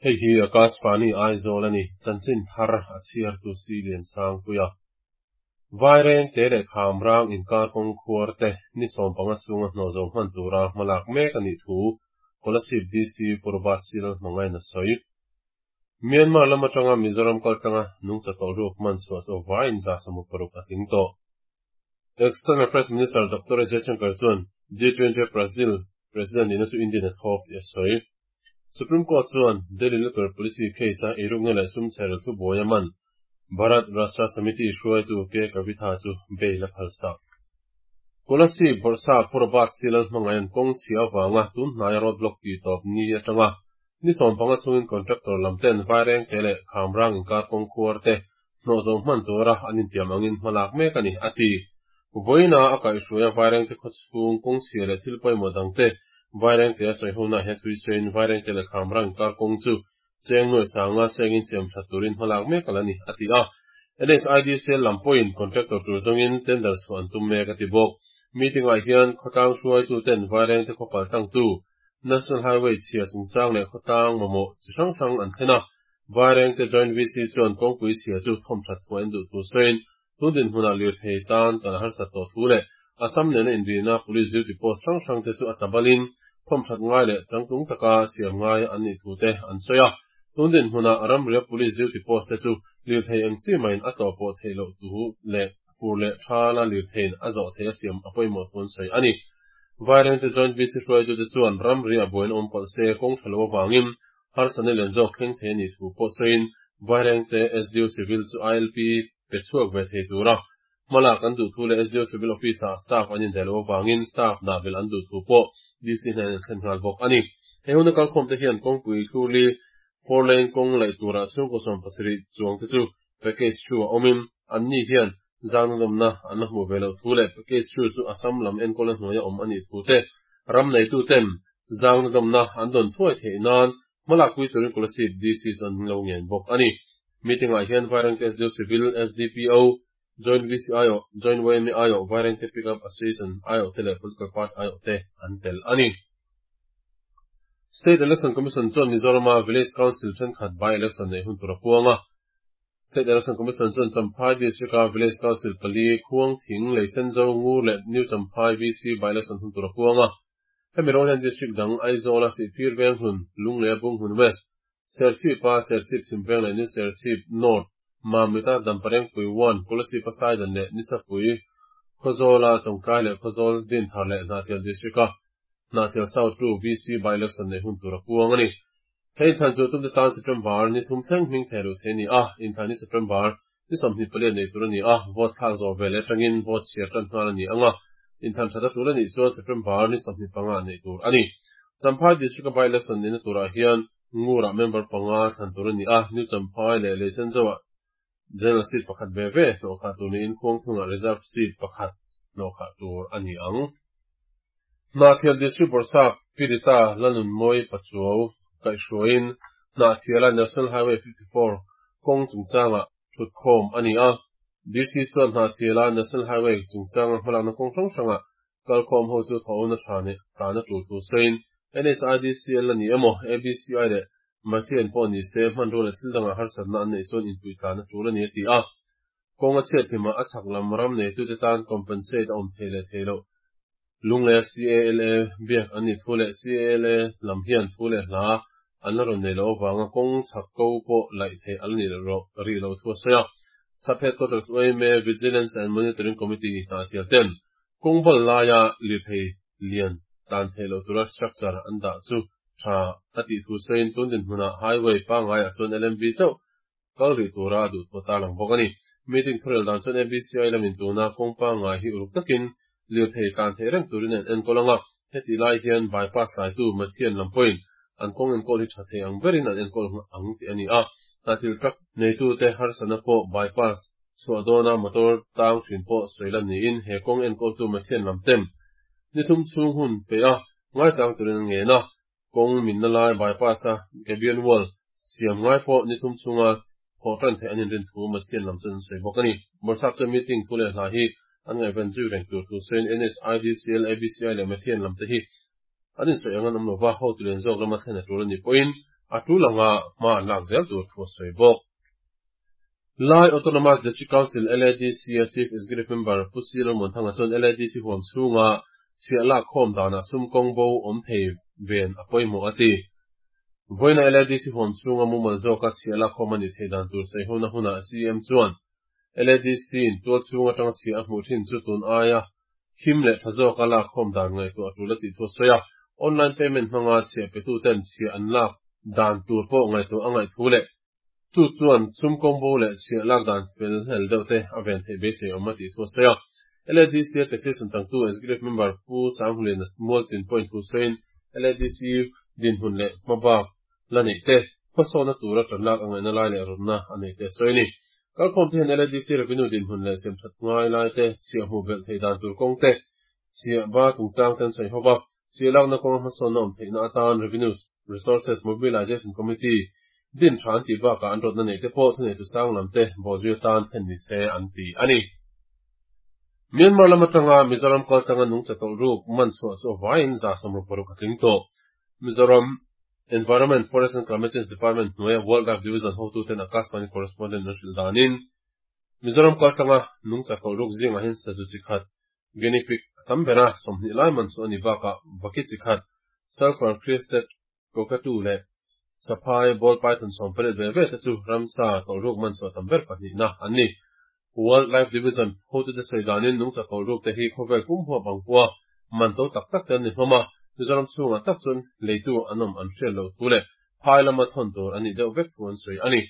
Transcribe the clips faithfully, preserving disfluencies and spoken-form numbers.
Hei hi Akashvani Aizawl a ni, chanchin thar a chhiartu si lian sangpuia. Vairengte leh Khamrang inkar kawng khuar te ni sawm panga chhunga hnawh zo hman tura hmalak mek a nih thu Kolasib DC Purvat Silal hmangain a sawi. Myanmar lam atanga Mizoram kaltlanga nungcha tawlh ruk man chhuah chu vaiin za sawmuk paruk a tling tawh. External Affairs Minister Dr. Jaishankar chuan G twenty Brazil President nihna chu Indian a thlawp tih a sawi. Supreme Court chuan Delhi Liquor Policy case-a eirukna leh sum chherel thu buai a man Bharat Rashtra Samiti hruaitu K. Kavitha chu bail a phalsak. Kolasib Bawrhsap Pu Robert Silal hmangaiin kawng chhia avanga tun hnaia road block tih tawp ni atanga ni sawm panga chhungin contractor lam ten Vairengte leh Khamrang inkar kawng khuar te hnawh zo hman tura an intiam angin hmalak mek a ni, a ti. Vawiina a kaihhruaia Vairengte khawchhung kawng chhia leh thil pawimawh dang te Vairengte a sawi hunah hian thui sawiin Vairengte leh Khamrang inkar kawng chu cheng nuai sanga sengin siam that turin hmalak mek a la ni, a ti a. NSIDCL lam pawhin contractor tur zawngin tender chhuah an tum mek a ti bawk. Meeting-ah hian khawtlang hruaitu ten Vairengte khawpal tangtu National Highway chhia chungchang leh khawtlang mamawh chi hrang hrang an thlen a. Vairengte Joint VC chuan kawngpui chhia chu thawm that thuah in duh thu sawiin tun dinhmunah lirthei tan kan harsat tawh thu leh Assam nena inrina Police duty post hrang hrang te chu a tlabalin thawm that ngai leh changtlung taka siam ngai an nih thu te an sawi a. Tun dinhmunah ramria Police duty post te chu lirthei eng chi maiin a tlawh pawh theih loh tu leh fur leh thala lirtheiin a zawh theih a siam a pawimawh thu an sawi a ni. Vairengte Joint VC hruaitute chuan ramria buaina awm palh se kawng tha lo avangin harsatna lian zawk thleng thei a nih thu pawh sawiin Vairengte SDO Civil chu ILP pe chhuak ve thei tura hmalak an duh thu leh SDO Civil Office-ah staff an indaih loh avangin staff dah belh an duh thu pawh DC hnen an thlen nghal bawk a ni. He huna kalkhawmte hian kawngpui thlurli four lane kawng laih turah chhungkaw sawm pasarih chuangte chu package thu a awmin anni hian zangna nawmna an la hmuh ve loh thu leh package thu chu Assam lam enkawlna hnuaia awm a nih thu te ram neituten zangna nawmna an dawn thuai theih nan hmalak pui turin Kolasib DC chu an lo ngen bawk a ni. Meeting-ah hian Vairengte SDO Civil, SDPO, Joint VC aiawh, Joint YMA aiawh, Vairengte Pickup Association aiawh te leh Political Party aiawh te an tel a ni. State Election Commission chuan Mizorama Village Council thenkhat by-election neih hun tur a puang a. State Election Commission chuan Champhai District-a Village Council pali, Khuang Thing, Leisenzo, Ngur leh New Champhai VC by-election hun tur a puang a. Hemi rawng hian District dang Aizawla Sihphir Veng hun, Lunglei Bung hun West, Serchhipa Serchhip Chhim Veng leh New Serchhip North, Mamita Damparengpui One, Kolasib-a Saidan leh Nisapui, Khawzawla Chawngtlai leh Khawzawl Dinthar leh Hnahthial District-a Hnahthial South Two VC by-election neih hun tur a puang a ni. Hei inthlan chu tumte tan September ni thum thleng hming thei luh thei a ni a, inthlan ni September ni sawmhnih palian nei tur a ni a, vote thlak zawh ve leh atangin vote chhiar tan nghal a ni ang a, inthlan that a tul a nih chuan September ni sawmhnih panga neih tur a ni. Champhai District-a by-election nihna turah hian Ngurah member panga thlan tur a ni a, New Champhai leh Leisenzo-ah General seat pakhat ve ve hnawhkhah tur niin Khuangthungah reserve seat pakhat hnawhkhah tur a ni ang. Hnahthial District Bawrhsap Pirita Lalnunmawi Pachuau kaihhruaiin Hnahthiala National Highway fifty four kawng chungchangah thutkhawm a ni a. DC chuan Hnahthiala National Highway chungchanga hmalakna kawng hrang hrangah kalkhawm ho chu thawhna tha nih tlan a tul thu sawiin NHIDCL a ni emaw ABCI leh Mathian pawh ni se hmanrua leh thil dangah harsatna an neih chuan inpui tlan a tul a ni a ti a. Kawng a chhiat hlimah a chhak lam ram neitute tan compensate a awm thei leh thei loh. Lunglei CALA biak an nih thu leh CALA lam hian thu leh hla an la rawn nei loh avanga kawng chhak ko pawh laih theih a la nih rih loh thu a sawi a. Sub Headquarters YMA Vigilance and Monitoring Committee Hnahthial ten kawng bal laia lirthei lian tlan theih loh tura structure an dah chu tha a tih thu sawiin tun dinhmunah highway pangaiah chuan LMV chauh kal rih tura a duh thu a tarlang bawk a ni. Meeting thurel dan chuan ABCI lamin tuna kawng pangngai hi uluk takin lirthei tlan theih reng turin an enkawl ang a, heti lai hian bypass laitu Mathian lam pawhin an kawng enkawl hi tha thei ang berin an enkawl ang tih a ni a. Hnathil truck neitute harsatna pawh bypass chhuah dawna motor tang thin pawh sawi lan niin he kawng enkawltu Mathian lam ten ni thum chhung hun peih a ngaichang turin an ngen a, kawng minna lai bypass a gabion wall siam ngai pawh ni thum chhunga thawh tan theih an inrin thu Mathian lam chuan an sawi bawk a ni. Bawrhsap chuan meeting thu leh hla hi an ngaihven zui reng tur thu sawiin NSIDCL, ABCI leh Mathian lam te hi an insawi ang an awm lova, hotu lian zawk lama thlen a tul a nih pawhin a tul anga hma an lak zel tur thu a sawi bawk. Lai Autonomous District Council L A D C a Chief Executive Member Pu C Lalmuanthanga chuan L A D C huam chhunga chhiah lak khawm danah sum kawng bo awm thei ven a pawimawh a ti. Vawiina L A D C huam chhunga mumal zawka chhiah lak khawm a nih theih dan tur sawi hona hunah C M chuan L A D C in tual chhung atanga chhiah a hmuh thin chu tun aia him leh tha zawka lak khawm dan ngaihtuah a tul a tih thu a sawi a. Online payment hmanga chhiah petu ten chhiah an lak dan tur pawh ngaihtuah a ngaih thu leh chu chuan sum kawng bo leh chhiah lak dan fel hlel deuh te a ven theih beisei awm a tih thu a sawi a. L A D C a taxation changtu Executive Member Pu Sanghulin Mualchin point thu sawiin L A D C dinhmun leh hmabak la neih te hmasawna tura tan lak a ngaihna lai leh rawtna a nei te sawi a ni. Kalkhawm te hian L A D C revenue dinhmun leh siam that ngai lai te, chhiah hmuh belh theih dan tur kawng te, chhiah ba chungchang ten sawi hova. Chhiah lakna kawng hmasawnna awm theihna atan Revenue Resources Mobilization Committee din than ti bakah an rawtna nei te pawh thunei tu sang lam te bawhzui atan thlen ni se an ti a ni. Myanmar lam atanga Mizoram kaltanga nungcha tawlh ruk man chhuah chu vaiin za sawmruk paruk a tling tawh. Mizoram Environment, Forest and Climate Change Department hnuaia Wildlife Division hotu ten Akashvani correspondent an hrilh danin Mizoram kaltanga nungcha tawlh ruk zingah hian sazu chi khat guinea pig a tam bera sawmhnih lai man chu a ni bakah vaki chi khat sulphur crested cockatoo leh saphai ball python sawm pariat ve ve te chu ramsa tawlh ruk man chu a tam ber pahnihna an ni. Wildlife Division hotu te sawi danin nungcha tawlh ruk te hi khawvel pum huap ang pawha man to tak tak te an ni hlawm a. Mizoram chhungah tak chuan leitu an awm an hriat loh thu leh phai lama thawn tur an nih deuh vek thu an sawi a ni.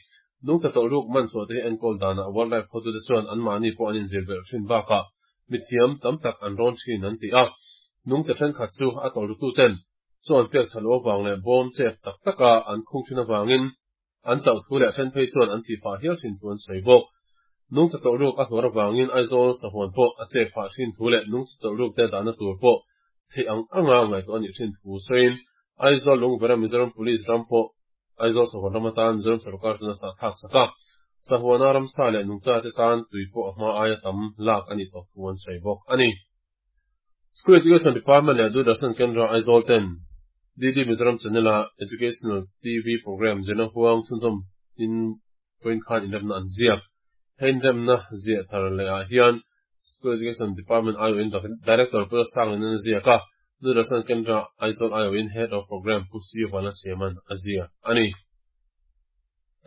Nungcha tawlh ruk man chhuah te hi enkawl danah wildlife hotu te chuan anmahni pawh an inzir belh thin bakah mithiam tam tak an rawn thin an ti a. Nungcha thenkhat chu a tawlh rutu ten chu an pek that loh avang leh bawm chep tak taka an khung thin avangin an chauh thu leh then phei chuan an thih phah hial thin thu an sawi bawk. Nungcha tawlh ruk a hluar avangin Aizawl sahuan pawh a chep phah thin thu leh nungcha tawlh ruk te dahna tur pawh theih ang anga ngaihtuah a nih thin thu sawiin Aizawl Lungvera Mizoram Police ram pawh Aizawl sahuan ram atan Mizoram sarkar chuan a sah thlak sak a. Sahuana ramsa leh nungcha te tan tui pawh a hma aia tam lak a nih tawh thu an sawi bawk a ni. School Education Department leh Doordarshan Kendra Aizawl ten D D Mizoram Channel a Educational T V program zirna huang chhunzawm in point khan inremna an ziak. Hei inremna ziah thar leh ah hian School Education Department aiawhin Director Pu Sanglin an ziak a. Doordarshan Kendra Aizawl aiawhin Head of Program Pu C Wana Siaman a ziak a ni.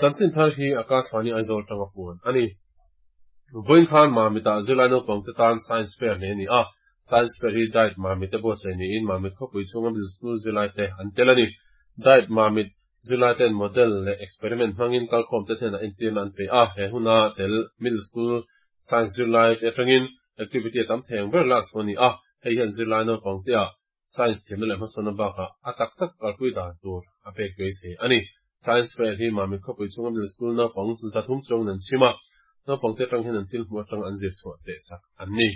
Chanchin thar hi Akashvani Aizawl tanga puan a ni. Vawiin khan Mamitah zirlai naupang te tan Science Fair nei a ni a. Science Fair hi DIET Mamit te buatsaih niin Mamit khawpui chhunga middle school zirlai te an tel a ni. DIET Mamit zirlai ten model leh experiment hmangin kalkhawm te hnenah entirna an pe a. He huna tel middle school science zirlai te atangin activity a tam thei ang ber lak chu a ni a. Hei hian zirlai naupang te a science thiamna leh hmasawnna bakah a tak tak kalpui dan tur a pek beisei a ni. Science Fair hi Mamit khawpui chhunga middle school naupang zathum chuang an chim a. Naupang te atang hian an thil hmuh atang an zir chhuah teh sak an ni.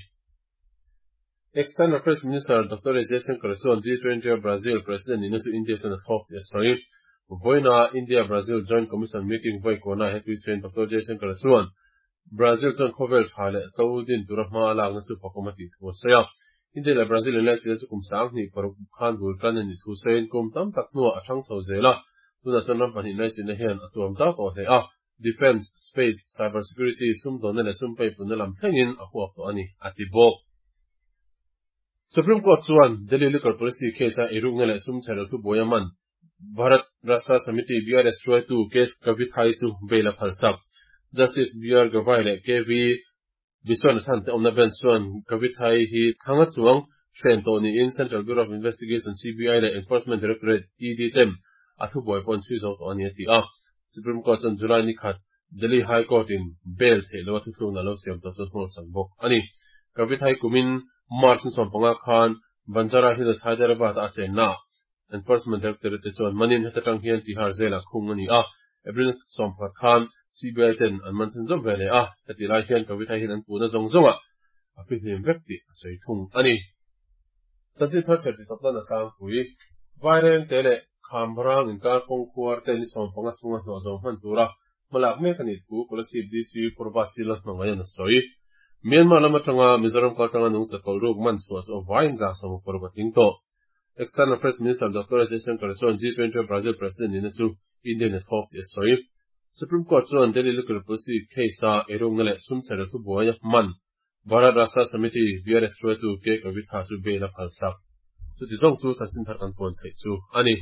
External Affairs Minister Doctor S Jaishankar chuan G twenty Brazil President nihna chu India chuan a thlawp tih a sawi. Vawiina India Brazil Joint Commission meeting vawi kuana he tui sawiin Doctor Jaishankar chuan Brazil chuan khawvel tha leh tlo din tura hma a lakna chu fakawm a tih thu a sawi a. India leh Brazil in leh chile chu kum sang hnih paruk khan bul tan a nih thu sawiin kum tam tak hnuah a thang chho zel a. Tunah chuan ram pahnih lai chinna hian a tuam zau tawh hle a. Defense, space, cyber security, sumdawnna leh sum pei punna lam thlengin a huap tawh a ni a ti bawk. Supreme Court chuan Delhi Liquor Policy case a eirukna leh sum chher thu buai a man Bharat Rashtra Samiti B R S hruaitu K S Kavithai chu bail a phal sak. Justice B R Gavai leh K V Viswanathan te awmna bench chuan Kavithai hi thanga chuang hren tawh niin Central Bureau of Investigation C B I leh Enforcement Directorate E D ten a thu buai pawh an chhui zo tawh a ni a ti a. Supreme Court chuan July ni khat Delhi High Court in bail theih lo a thuthlukna lo siam tawh chuan hnawl sak bawk a ni. Kavithai kumin March ni sawm panga khan Banjara Hills Hyderabad a chenna Enforcement Directorate te chuan manin heta tang hian Tihar Jail-ah khung a ni a. April sawm pakhat khan C B I ten an man chhun zawm ve leh a. Heti lai hian Kavithai hian an puhna zawng zawnga a fihlim vek tih a sawi thung a ni. Chanchin thar chher ti tawp nan a tlangpui. Vaireng te leh Khamrang inkar kawng khuar te ni sawm panga chhunga hnawh zo hman tura hmalak mek a nih thu Kolasib D C Purba Sila hmangaih an a sawi. Myanmar lam atanga Mizoram kaltanga nungcha tawlh ruk man chhuah chu a vaiin za sawm paruk a tling tawh. External Affairs Minister Doctor S Jaishankar chuan G twenty Brazil President nihna chu Indian a thlawp tih a sawi. Supreme Court chuan Delhi Liquor Policy case-a eirukna leh sum chhe thu buai man Bharat Rashtra Samiti B R S hruaitu K Kavitha chu bail a phalsak. Chuti zawng chu chanchin thar kan puan theih chu a ni.